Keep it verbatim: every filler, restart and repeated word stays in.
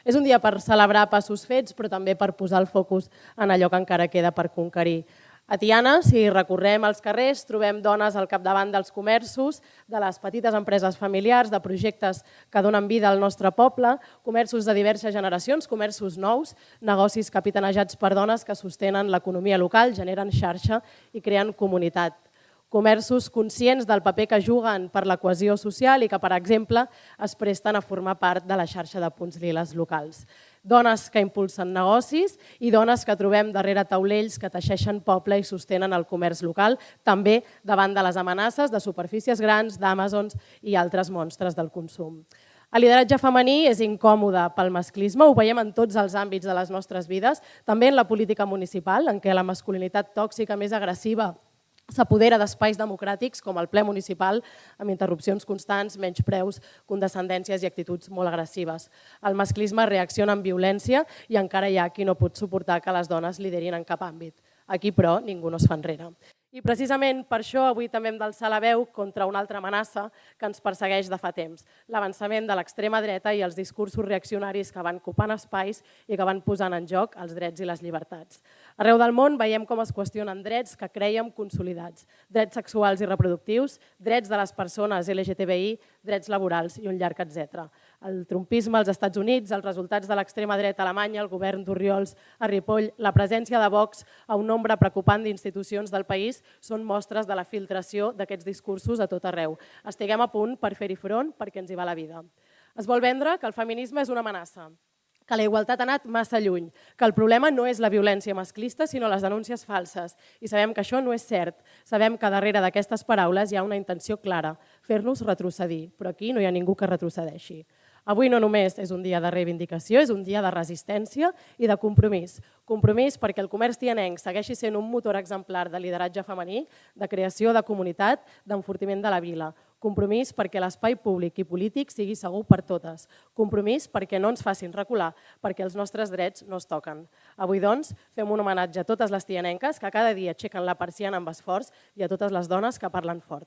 És un dia per celebrar passos fets, però també per posar el focus en allò que encara queda per conquerir. A Tiana, si recorrem els carrers, trobem dones al capdavant dels comerços, de les petites empreses familiars, de projectes que donen vida al nostre poble, comerços de diverses generacions, comerços nous, negocis capitanejats per dones que sostenen l'economia local, generen xarxa i creen comunitat. Comerços conscients del paper que juguen per la cohesió social i que, per exemple, es presten a formar part de la xarxa de punts liles locals. Dones que impulsen negocis i dones que trobem darrere taulells que teixeixen poble i sostenen el comerç local, també davant de les amenaces de superfícies grans, d'Amazons i altres monstres del consum. El lideratge femení és incòmode pel masclisme, ho veiem en tots els àmbits de les nostres vides, també en la política municipal, en què la masculinitat tòxica més agressiva s'apodera d'espais democràtics com el ple municipal amb interrupcions constants, menyspreus, condescendències i actituds molt agressives. El masclisme reacciona amb violència i encara hi ha qui no pot suportar que les dones liderin en cap àmbit. Aquí, però, ningú no es fa enrere. I precisament per això avui també hem d'alçar la veu contra una altra amenaça que ens persegueix de fa temps, l'avançament de l'extrema dreta i els discursos reaccionaris que van copant espais i que van posant en joc els drets i les llibertats. Arreu del món veiem com es qüestionen drets que crèiem consolidats, drets sexuals i reproductius, drets de les persones L G T B I, drets laborals i un llarg etcètera. El trumpisme als Estats Units, els resultats de l'extrema dreta alemanya, el govern d'Orriols a Ripoll, la presència de Vox a un nombre preocupant d'institucions del país són mostres de la filtració d'aquests discursos a tot arreu. Estiguem a punt per fer-hi front perquè ens hi va la vida. Es vol vendre que el feminisme és una amenaça, que la igualtat ha anat massa lluny, que el problema no és la violència masclista, sinó les denúncies falses. I sabem que això no és cert. Sabem que darrere d'aquestes paraules hi ha una intenció clara, fer-nos retrocedir, però aquí no hi ha ningú que retrocedeixi. Avui no només és un dia de reivindicació, és un dia de resistència i de compromís. Compromís perquè el comerç tianenc segueixi sent un motor exemplar de lideratge femení, de creació de comunitat, d'enfortiment de la vila. Compromís perquè l'espai públic i polític sigui segur per totes. Compromís perquè no ens facin recular, perquè els nostres drets no es toquen. Avui, doncs, fem un homenatge a totes les tianenques que cada dia aixequen la persiana amb esforç i a totes les dones que parlen fort.